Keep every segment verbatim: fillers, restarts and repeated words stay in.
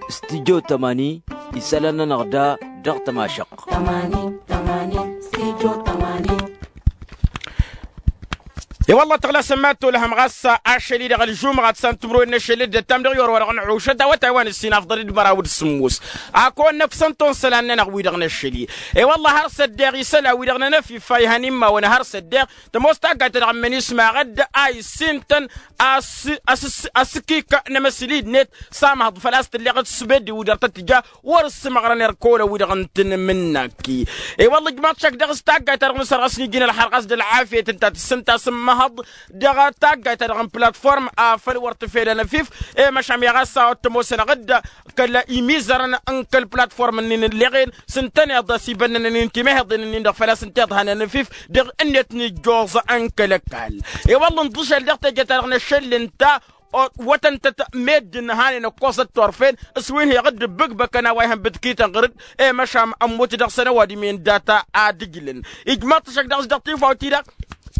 Studio tămani, isălan-nănăɣ da dăɣ-tămašăɣt. E-wălla tăɣlasăm ma t-olăhăm ɣas ašăl-i-dăɣ ălžumăɣăt s-ad-tǝmrǝwen n-ašăl d-ăttam dăɣ-i orăwădăɣ n-ɣušăt awătay wa n-ǝssin afḍăl d-măraw d-sǝmmos. Ad-kăwăn-năfsăn tonsălan-nănăɣ wi-dăɣ n-ašăl-i. E-wălla har s-ăddeɣ isălan-wi-dăɣ n-anăfif a ihăn imawăn har s-ăddeɣ tămoos taggayt-ta-dăɣ n-minisma ɣădd a issintăn asǝkik n-emăsli-net s-amăhăḍ făl-a-s tǝlleɣ d-sbeddi wi dăr-tăt-tǝja wăr-ǝssǝmăɣrăn erk olăn wi-dăɣ n-tǝnmǝnnaki. I-wălla ǝjmaḍ šăkk dăɣ-s taggayt-ta-dăɣ n-sărɣăs n-iji n-ălxărɣas d-ălɣafyăt ǝnta tǝssǝnta s-ǝmmăhăḍ dăɣ-taggayt-ta-dăɣ n-platform afăl wăr tǝfed anăfif. I-măšan i-ɣas a wăr t-ămoosăn aɣǝdda kăl-imizărăn n-kăl-platform-nin ǝlleɣen s-ǝntăneḍ s-ibănnănăn-in timăheḍen-nin-dăɣ făl-a-s ǝnta iḍhan anăfif dăɣ-ǝnnet n-ijjoẓ n-kăl-ăkall. I-wălla ǝnḍǝšăl dăɣ-teje-ta-dăɣ n-ašăl ǝnta wătăn-tăt meddǝn hanen ǝkkoẓăt turfen s-wi n-heɣ dd-ǝbbǝkbăkăn a-wa ihăn bǝtkităn ɣăr-dd. I-măšan ămmut dăɣ-săn ăwadǝm-en data ad-ǝjlǝn. Ijmaḍ-t ăššăk dăɣ-s dăɣ-tifawt-i-dăɣ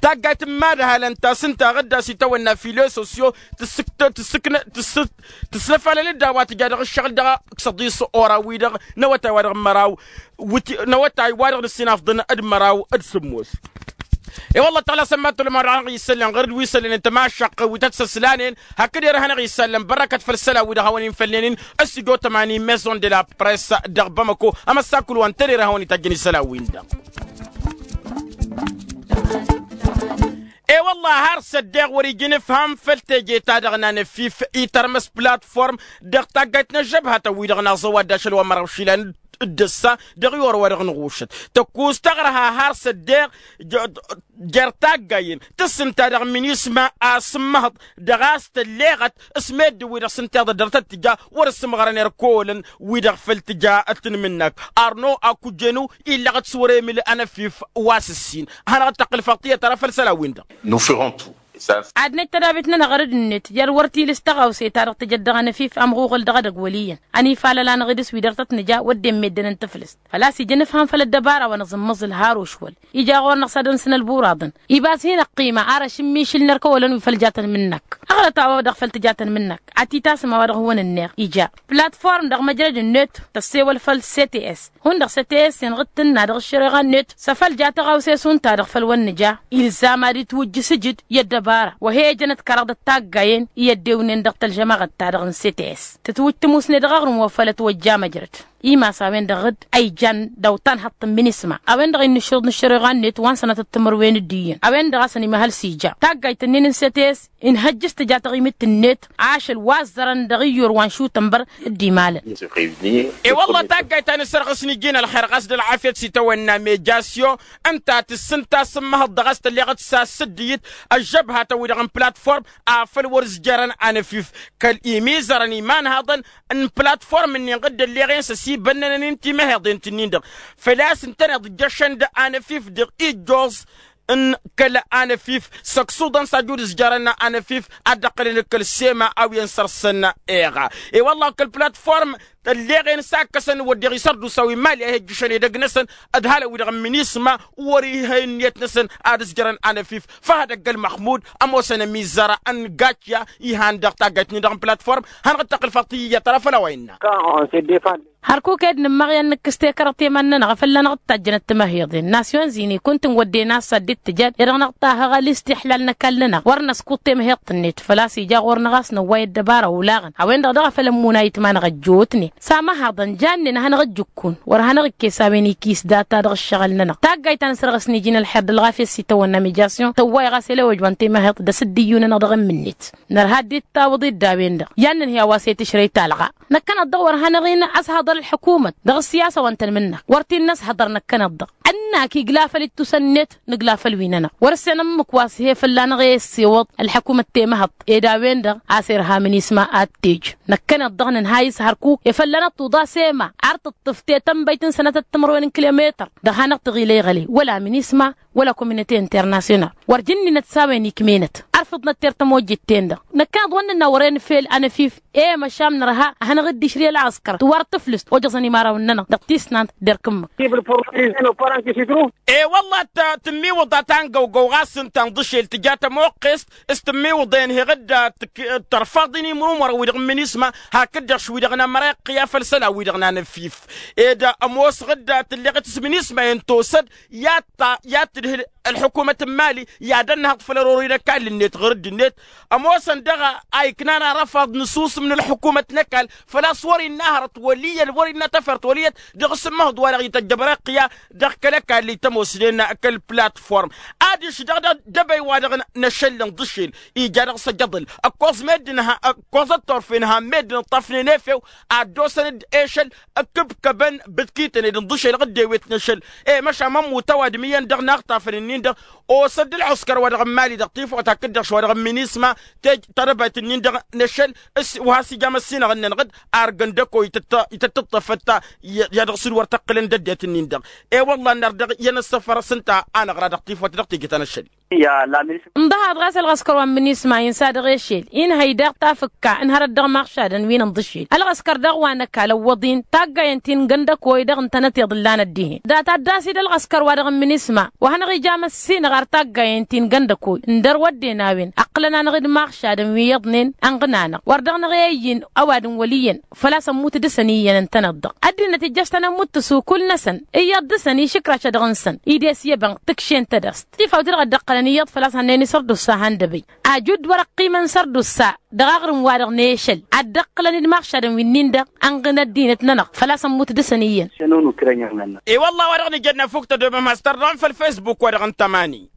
taggayt n-imadhalăn ta s-ǝnta aɣǝdda s-itawănna filososyo tǝssǝknă tǝssǝt tǝslăfalăl-dd a-wa tǝja dăɣ-ǝššăɣǝl dăɣ-ăkk săḍis ora-wi-dăɣ n-awătay wa dăɣ-măraw n-awătay wa dăɣ-nǝssin afḍăn d-măraw d-sǝmmos. I-wălla tăɣlasăm ma t-olămăɣ dăɣ-isălan ɣăr-dd wi isălănen tămašăqq wi tăt-săslanen hakd erăhănăɣ isălan bărrăkăt făll-isălan wi-dăɣ hawăn-in-făllănen. Ăssijo tămani maison de la press dăɣ-bamăko amăssakul wa n-tăn-erăhăwăn itajjăn isălan-win-dăɣ. E-wălla har s-ăddeɣ wăr-ija inǝfham făll-teje-ta-dăɣ n-anăfif itărmăs platform dăɣ-taggayt n-ăžžăbhatăn-wi-dăɣ n-aẓăwad d-ašăl wa n-măraw išilan d-ǝssa dăɣ-i orăwădăɣ n-ɣušăt tăkkus taɣrăha har s-ăddeɣ jer-taggayen tǝssǝnta dăɣ-minisma a-s ǝmmăhăḍ dăɣ-a-s tălleɣăt s-meddǝn-wi-dăɣ s-ǝnta iḍăddăr tăt-tǝja wăr-ǝssǝmɣărăn erk olăn wi-dăɣ făll-tǝja tǝnmǝnnak. Arno akujenu illăɣăt s-wăr-emǝl anăfif wa s-ǝssin. Hanăɣ-dd-tăqqǝlfăɣ tiyyăt ara făll-isălan-win-dăɣ. Ad-năj tădabit-nănăɣ ɣăr-dd-net jer-wăr tilǝs tăɣawse-ta-dăɣ tǝjăt dăɣ-anăfif ămɣuɣǝl dăɣ-edăgg wăl' iyyăn ănifalăl-anăɣ idǝs wi dăr-tăt-nǝja wădden meddǝn n-taflǝst. Făl-a-s ija inǝfham făll-ăddăbara wa năẓǝmmăẓǝl har ošwăl ija ɣur-năɣ s-ad-ănsǝn ălbuṛaḍăn. Ibas hin-ăqqima ar ăšǝmmišǝl n-erk ăwălăn wi făl ja tăn-imǝnnăk. Ăɣlăt a-wa-dăɣ făl tǝja tăn-imǝnnăk ad-t-itasǝm a-wa-dăɣ hawăn-ǝnneɣ ija platform dăɣ-măjrăd-net tăssewăl făll-cts hundăɣ cts-en ɣǝd tǝnna dăɣ-ăššăreɣa-net s-afăl ja tăɣawse šund-ta-dăɣ făll-wăr nǝja. Ilzam ad-itwǝjj isǝjǝd i-ăddăbara wa he-ejănăt kăraḍ d-taggayen i-ăddewnen dăɣ-tălžămaɣăt-ta-dăɣ n-cts tǝtwǝjj tămusne dăɣ-aɣrǝm wa făl ătwăjja măjrăd. Imas a-wen-dăɣ dd-a ijan d-awăttan hăṭṭ n-minisma a-wen-dăɣ innă ǝššăɣǝḍ n-ăššăreɣa-net wa n-sănatăt timǝrwen d-iyyăn a-wen-dăɣ a-s ănimăhăl s-ija taggayt-ǝnnin n-cts. Inhăjjǝs tǝja taɣimit-net ašăl wa ăzzărăn dăɣ-iyyur wa n-šutănbăr. D-imalăn. E-wălla taggayt ta n-asărɣǝs n-iji n-ălxer ɣas d-ălɣafyăt s-itawănna mejasyo ǝnta tǝssǝnta s-ǝmmăhăḍ dăɣ-a-s tălleɣăt s-asǝddǝyǝt ăžžăbhatăn-wi-dăɣ n-platform afăl wăr-ǝzjărăn anăfif kăl-imizărăn imanhaḍăn n-platform-ǝnnin ɣǝdd ălleɣen s-ăsibănnănăn-in timăheḍen-t-ǝnnin-dăɣ. Făl-a-s ǝntăneḍ ǝjjăšăn d-anăfif dăɣ-ijjoẓ n-kăl-anăfif s-ăksuḍăn s-ajju d-ǝzjărăn anăfif ad-dd-ăqqǝlăn d-kăl-sema a-wen săr-săn. Eɣa e-wălla kăl-platform ălleɣen s-akkăsăn wădden isărdusa wi n-mali a hi-ăjjǝšăn edăgg-năsăn d-halăn-wi-dăɣ n-minisma wăr-iha ǝnniyăt-năsăn ad-ǝzjărăn anăfif. Făhăd ăgg-ălmăxmud ămoosăn ămizzăra n-gačya ihan dăɣ-taggayt-nin-dăɣ n-platform. Hanăɣ-dd-tăqqǝl făll-tiyyăt ara făll-a-wa innă. Hărkuk ed nǝmmăɣ i-ad-nǝkkǝs tekărăt i-iman-nănăɣ a fălla-năɣ dd-tajjănăt timăheḍen nasyon zini kunta n-wădden a-s ad-dd-tǝjăd i-dăɣ năɣ-tahăɣ alǝstixlal n-ăkall-nănăɣ wăr năskuḍ temăheḍt-net. Făl-a-s ija ɣur-năɣ a-s năwway ăddăbara olaɣăn a-wen-dăɣ daɣ a făl ămmunay itman-năɣ ăjjootnen s-amăhaḍăn jannen a hanăɣ-ǝjjǝkkun wăr hanăɣ-ikkes a-wen ikis data dăɣ-ǝššăɣǝl-nănăɣ taggayt ta n-asărɣǝs n-iji n-ălxer d-ălɣafyăt s-itawănna mijasyon tăwway ɣas elewăjwan temăheḍt d-asǝddǝyyu-nănăɣ dăɣ-ǝmmǝnnet. Nărha dd-tawǝḍ-dd a-wen-dăɣ i-ad-nǝnhǝy a-wa s-e-tǝšrăy talɣa. Năkkăneḍ-dăɣ wăr hanăɣ-in-ăshăḍăr ălḥǝkumăt dăɣ-ăssiyasa wa n-tăn-imǝnnăk wăr t-in-năshăḍăr năkkăneḍ-dăɣ ănnak igla făll-ittusăn-net nǝgla făll-wi-nănăɣ wăr-ǝssen ǝmmǝk wa s-he fălla-năɣ e-ăssewăḍ ălḥǝkumăt temăhăḍt ed a-wen-dăɣ a-s irha minisma ad-t-ej. Năkkăneḍ-dăɣ nǝnhayǝs hărkuk e fălla-năɣ tuḍa s-ema ar tǝṭṭǝf tetănbăyt n-sănatăt timărwen n-kilometăr dăɣ-hanăɣ tăɣila iɣăle wăla minisma wăla kominăte internasyonal wăr jǝnninăt s-a-wen ikmenăt. Ar făḍnăt ter tămojjet-ten-dăɣ năkkăneḍ wăr nǝnna wăren fel anăfif. E măšan nărha ad-hanăɣ-dd-išri ălɣăskăr tiwar tǝflǝst ojăẓăn imărawăn-nănăɣ dăɣ-tisnant derk ǝmmǝk. E wălla tǝmmiwǝḍ a ta n-găwgăw ɣas ǝnta n-ḍǝšel tǝja tămoqqest s-tǝmmiwǝḍ enheɣ-dd tărfaḍ-in imrumărăn wi-dăɣ n-minisma hakd-dăɣ š-wi-dăɣ n-amăreqq i-afăl isălan-wi-dăɣ n-anăffif. Ed ămoosăɣ-dd tǝlleɣ-t s-minisma-en tosăd i-ad-tǝdhǝl ălḥukumăt n-imali i-ad-ănnăhăḍ făll-ărori n-ăkall-net ɣur-dd-net. Ămoosăn daɣ a iknan arăfaḍ n-asusǝm n-ălḥukumăt n-ăkall făl-a-s wăr-innă hărăt wăl' iyyăn wăr-innă tafărt wăl' iyyăn dăɣ-s ǝmmăhăḍ wa-dăɣ ităjj amăreqq i-a dăɣ-kăl-ăkall i-tămoosnen kăl-platform. Adiš daɣ d-ebăy wa-dăɣ n-ašăl n-iḍǝšel ija dăɣ-s ăjăḍǝl ǝkkoẓ meddǝn ǝkkoẓăt turfen han meddǝn ǝṭṭăfnen efew ad-dd-osăn-dd ešăl ǝkkǝbkăbăn bǝtkităn ed ǝnḍǝšel ɣǝddewet n-ašăl. E măšan mămmut ăwadǝm iyyăn dăɣ-inaɣtafăn-ǝnnin-dăɣ osăt d-ălɣǝskăr wa dăɣ-n mali dăɣ-tifawt hakd-dăɣ š-wa-dăɣ n-minisma. Tej tadăbayt-ǝnnin-dăɣ n-ašăl wa has-ija măssinăɣ-nănăɣ-dd argăn d-ăkoy ităttăṭṭăfăt. I-ad-dăɣ-s dd-wăr tăqqǝlăn d-ăddinăt-ǝnnin-dăɣ. I-wălla ănnăr dăɣ-iyyăn ăssăfăr s-ǝnta a năɣra dăɣ-tifawt dăɣ-teje ta n-ašăl. Ǝndăhaḍ ɣas ălɣăskăr wa n-minisma insa dăɣ-ešel inhăy daɣ tafǝkka ǝnhărăt dăɣ-imaɣšadăn wi n-inḍǝšel ălɣăskăr daɣ wa n-ăkall ăwwăḍ-in taggayen ti n-găndăkoy dăɣ-ǝntănăt iḍǝllan ăddihen. Dat-ad-dasid ălɣăskăr wa dăɣ-n minisma wa hanăɣ-ija măssinăɣ ar taggayen ti n-găndăkoy ǝndăr wădden a-wen ăqqǝlăn-anăɣ-dd imaɣšadăn wi iyyăḍnen ănɣǝn-anăɣ wăr dăɣ-năɣ i-ăyy-in ăwadǝm wăl' iyyăn. Făl-a-s ămmut dăɣ-săn iyyăn ǝntăneḍ-dăɣ ăddinăt ijjăš-tăn ămmut tăsukul-năsăn iyyăḍ dăɣ-săn išǝkraš-a-dăɣ n-săn ides i-ebănk tǝkšen tădast. Tifawt-i-dăɣ a dd-ăqqălăn iyyăḍ făl-a-s hannăyăn isărdusa han d-ebăy ajud wăr-ăqqimăn sărdusa. Dăɣ-aɣrǝm-wa-dăɣ n-ešăl a dd-ăqqǝlăn d-imaɣšadăn wi-nin-dăɣ ănɣǝn ăddinăt-nănăɣ făl-a-s ămmut dăɣ-săn iyyăn. I-wălla wa dăɣ-nǝjănna fuk tădomăm has-tărdăm făll-fesbuk wa dăɣ-n tămani.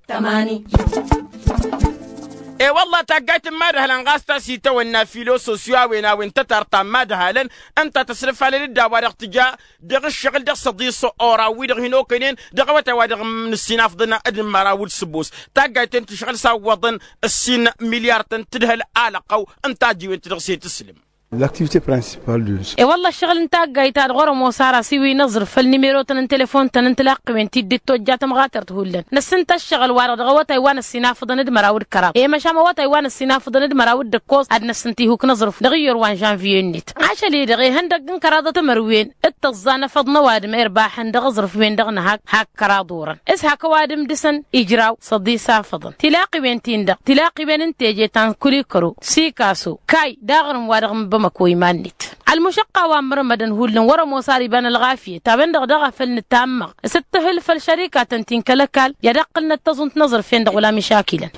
E-wălla taggayt n-imadhălăn ɣas ta s-itawănna filososyo a-wen a-wen tătart ta n-imadhălăn ǝnta tăslăfalăn-dd a-wa-dăɣ tǝja dăɣ-ǝššăɣǝl dăɣ-săḍis. Ora-wi-dăɣ hin-okăynen dăɣ-awătay wa dăɣ-nǝssinafḍăn d-măraw d-sǝbos taggayt-en tǝšɣǝl s-a ǝwwăḍăn ǝssin milyar-tăn tǝdhăl alăqqăw. Ǝnta a ăjiwen-t dăɣ-s i-tǝslǝm. L'activité principale de. E-wălla ǝššăɣǝl n-taggayt-ta-dăɣ wăr-ămoos ara s-iwǝy n-aẓrǝf făll-nimero-tăn n-telefon-tăn n-tilaqqiwen ti dd-tojja tămɣatert hullan năssinta ǝššăɣǝl-wa-dăɣ dăɣ-awătay wa n-ăssinafăḍăn d-măraw d-kăraḍ i-măšan awătay wa n-ăssinafăḍăn d-măraw d-ǝkkoẓ ad-năssǝnta ihuk n-aẓrǝf dăɣ-iyyăr wa n-žănviye-net. Ašăl-i-dăɣ ihăndăgg n-kăraḍăt timărwen d-tǝẓẓa n-afăḍ n-ăwadǝm irbaḥăn dăɣ-aẓrǝf-wen-dăɣ nǝhak hak kăraḍ orăn s-hak ăwadǝm dăɣ-săn ijraw săḍis afăḍăn tilaqqiwen-tin-dăɣ tilaqqiwen n-teje ta n-kulikăro sikaso kay d-aɣrǝm wa dăɣ-n bamăko iman-net. Ălmušăqqa wa n-mărmădăn hullan wăr-ămoos ar iba n-ălɣafyăt a-wen-dăɣ daɣ a făl nǝtammăɣ s-dd-tǝhǝl făll-šărikatăn ti n-kăl-ăkall i-ad-ăqqǝlnăt taẓunt n-aẓrǝf-en-dăɣ wăla mišakilăn.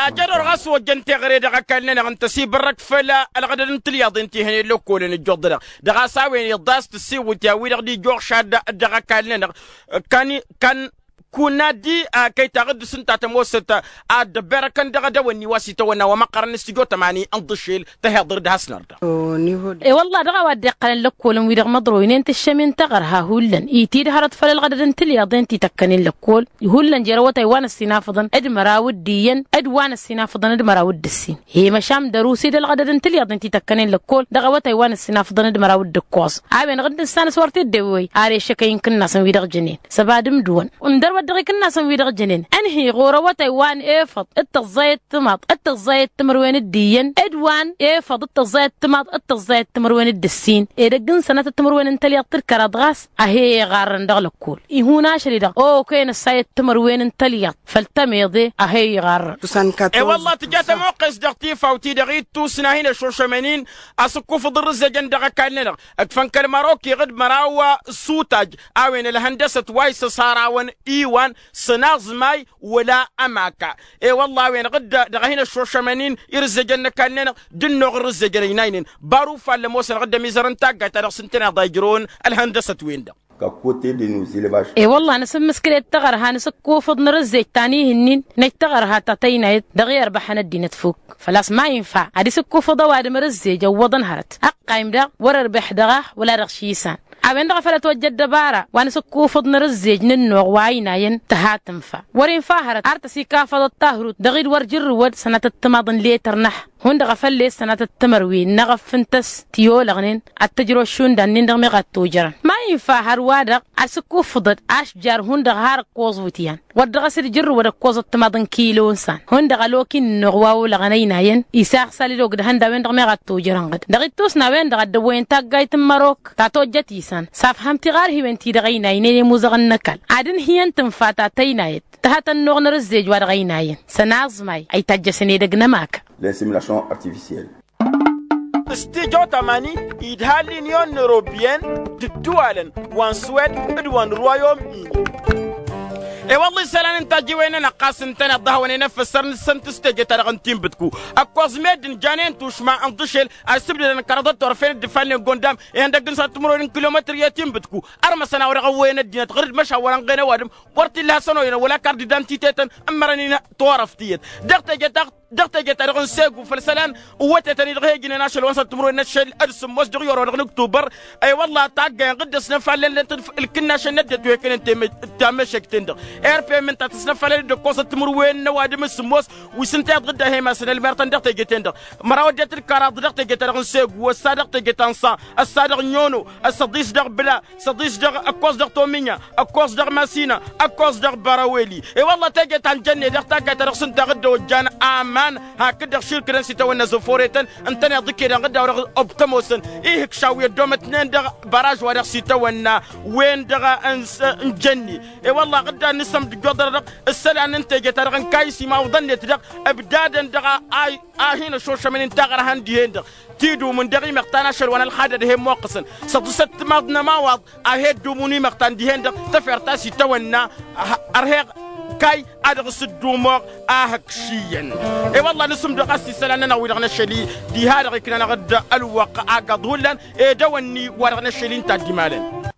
Ajădor ɣas ojjăn teɣăre dăɣ-ăkall-nănăɣ n-tăsibărrăk făll-ălɣădăd n-tilyaḍen ti hănen lăkkolăn ǝjjuḍ-dăɣ dăɣ-a-s a-wen iḍas tǝsiwǝtya-wi-dăɣ d-ijjuɣšad dăɣ-ăkall-nănăɣ. Kan kan kunna di a kăy-taɣǝd dăɣ-s ǝnta tămoosăt ad-dd-ăbbirăkăn dăɣ-edăwănni wa s-itawănna wa măqqărăn s-tijo tămani n-iḍǝššel tăhiḍăr d-has-nărdăɣ. E-wălla dăɣ-a-wa dd-iqqălăn lăkkolăn-wi-dăɣ măḍroynen tǝššămen taɣărha hullan itid hărăt făll-ălɣădăd n-tilyaḍen ti tăkkănen lăkkol. Hullan jer-awătay wa n-ăssinafăḍăn d-măraw d-iyyăn d-wa n-ăssinafăḍăn d-măraw d-ǝssin. He măšan dăr-usid ălɣădăd n-tilyaḍen ti tăkkănen lăkkol dăɣ-awătay wa n-ăssinafăḍăn d-măraw d-ǝkkoẓ. A-wen-dăɣ dd-nǝssan s-wăr t-dd-ewwey ar ešăkăy n-ikǝnnasăn wi-dăɣ jănen s-ăbadǝm d-wăn. Ǝndăr wăr dăɣ-ikǝnnasăn wi-dăɣ jănen ănhǝy ɣur-awătay wa n-efăḍ d-tăẓẓayăt timaḍ d-tăẓẓayăt timărwen d-iyyăn d-wa n-efăḍ d-tăẓẓayăt timaḍ d-tăẓẓayăt timărwen d-ǝssin. Edăgg n-sănatăt timărwen n-tălyaḍt d-kăraḍ ɣas a he-iɣarrăn dăɣ-lăkkol ihun ašăl-i-dăɣ okăyăn ăssayăt timărwen n-tălyaḍt făll-tămeḍe a he-iɣarrăn. E-wălla tǝja tămoqqes dăɣ-tifawt-i-dăɣ ittus n-ad-hin-ăšošămăn-in asǝkkufǝḍ n-rǝzzejăn dăɣ-ăkall-nănăɣ ǝkfăn kăl-măroki ɣǝd măraw s-utaj a-wen ălhăndăsăt wa isăsarawăn iwan s-ănaẓmay wăla ămaka. E-wălla a-wen ɣǝd dăɣ-ad-hin-ăšošămăn-in irǝzzejăn n-ăkall-nănăɣ d-ǝnnuɣ n-rǝzzejăn ăynaynen. Baru fallăm osăn ɣǝd ămizăr n-taggayt ta dăɣ-s ǝntăneḍ a ijrăwăn ălhăndăsăt-wen-dăɣ. E-wălla nǝsǝmmǝskǝl-ed taɣărha nǝsǝkkufǝḍ n-rǝzzej ta n-ihǝnnin năj taɣărha ta tăynayăt dăɣ-i ărbăḥăn ăddinăt fuk. Făl-a-s ma infa ad-isǝkkufǝḍ ăwadǝm rǝzzej ăwwăḍăn hărăt ăqqayǝm daɣ wăr-ărbăḥ dăɣ-a wăla dăɣ-šisan. A-wen-dăɣ a făl ătwăjja ăddăbara wa nǝsǝkkufǝḍ n-rǝzzej n-ǝnnuɣ wa ăynayăn tǝha tǝnfa. Wăr-infa hărăt ar tăsikafăḍăt tahrut dăɣ-i d-wăr jǝrrǝwăd sănatăt timaḍ n-letăr n-ăha hundăɣ a făl-e-s sănatăt timărwen n-eɣăf n-tăss ti-olăɣnen ad-t-ǝjrăw ăššunda-nin-dăɣ meɣ ad-t-ojărăn. Infa hărwa-dăɣ a-s ǝkkuffǝḍăd ašjar hundăɣ har ǝkkoẓ wǝtyan wăr dăɣ-s dd-jǝrrǝwăd ǝkkoẓăt timaḍ n-kilo n-isan hundăɣ ălokin-năɣ wa olăɣăn ăynayăn. Isaɣ săl-dd ogdăhăn d-a-wen-dăɣ meɣ ad-tojărănɣăd dăɣ-ittosna a-wen-dăɣ a dd-ăwwăyăn taggayt n-mărok ta tojjăt isan s-afhăm tiɣarhiwen-ti-dăɣ ăynaynen i-imuzăɣăn n-ăkall ad-ǝnhǝyăn tǝnfa ta tăynayăt tăhătăn n-oɣ n-arǝzzej wa dăɣ-ăynayăn. Săn aẓmay a itajjăsăn edăgg n-ămakăn. L'insémination artificielle. S-tijawt amani idha l-inyon n-ewropiyen d-ǝddǝwalăn wa n-swed d-wa n-rwayom-ini. I-wălla isălan n-tajǝwen-nănăɣ ɣas ǝntăneḍ d-ahăwăn enăfăssăr-năsăn tǝstejăt-ta-dăɣ n-tinbǝtku ăkkoẓ meddǝn janen tušma n-iḍǝšel a issǝbdădăn kăraḍăt turăfen dd-ifannen gondam ihăndăgg n-săr timǝrwen n-kilometăr i-tinbǝtku. Ărmăsăn a-wa dăɣ-ăwwăyăn ăddinăt ɣur-dd măšan wăr-ănɣen ăwadǝm wăr t-illa hasăn-oyăn wăla kardidant itetăn ǝmmărăn-in torăft iyyăt dăɣ-teje ta dăɣ-teje ta dăɣ-n segu făll-isălan. Ǝwwătetăn-i-dăɣ he-ijnen ašăl wa n-săr timǝrwen n-ašăl d-sǝmmos dăɣ-i orăwădăɣ n-ǝktubăr. I-wălla taggăyăn ɣǝddăs năfalălnăt ǝlkǝnnašăn n-ăddinăt wi ăkănen temešăk-ten-dăɣ. Erpem ǝnta tăsnăfalăl-dd ǝkkoẓăt timǝrwen n-ăwadǝm d-sǝmmos wi s-ǝnta iḍɣǝdda he-imasăn ălmertăn dăɣ-teje-ten-dăɣ. Măraw ăddinăt d-kăraḍ dăɣ-teje ta dăɣ-n segu ăssa dăɣ-teje ta n-sa ăssa dăɣ-nyono ăssăḍis dăɣ-bǝla săḍis dăɣ-ăkkoẓ dăɣ-tominya ăkkoẓ dăɣ-masina ăkkoẓ dăɣ-bărăweli. I-wălla teje ta n-jănne dăɣ-taggayt ta dăɣ-s ǝnta ɣǝddăwăjjan aman hakd-dăɣ širkǝdăn s-itawănna zăforetăn ǝntăneḍ d-ǝkkedăn ɣǝddaw-dăɣ ăbtămosăn. Ihǝkšaw i-ăddoomătnen dăɣ-băraj wa dăɣ-s itawănna wen-dăɣ n-jănne. I-wălla ɣǝddan n-isămd ǝjjoḍărădăɣ ǝssălan n-teje ta dăɣ-n kayis imawǝḍăn-net dăɣ-ǝbdadăn dăɣ-a a hin-ăšošămăn inta ɣărhăn dihen-dăɣ tidumǝn dăɣ-imăɣtan ašăl wa n-ălxadăd he-ămmoqqăsăn săḍǝsăt timaḍ n-ămawaḍ a he-ăddumun imăɣtan dihen-dăɣ. Tafert ta s-itawănna ărheɣ kay a dăɣ-s ǝddumoɣ ahăkš iyyăn. I-wălla nǝsǝmdăɣ a-s isălan-nănăɣ wi-dăɣ năššăli diha-dăɣ iknanăɣ-dd ălwăqq aggaḍ hullan edăwănni wa dăɣ-năššăli ǝnta a dd-imalăn.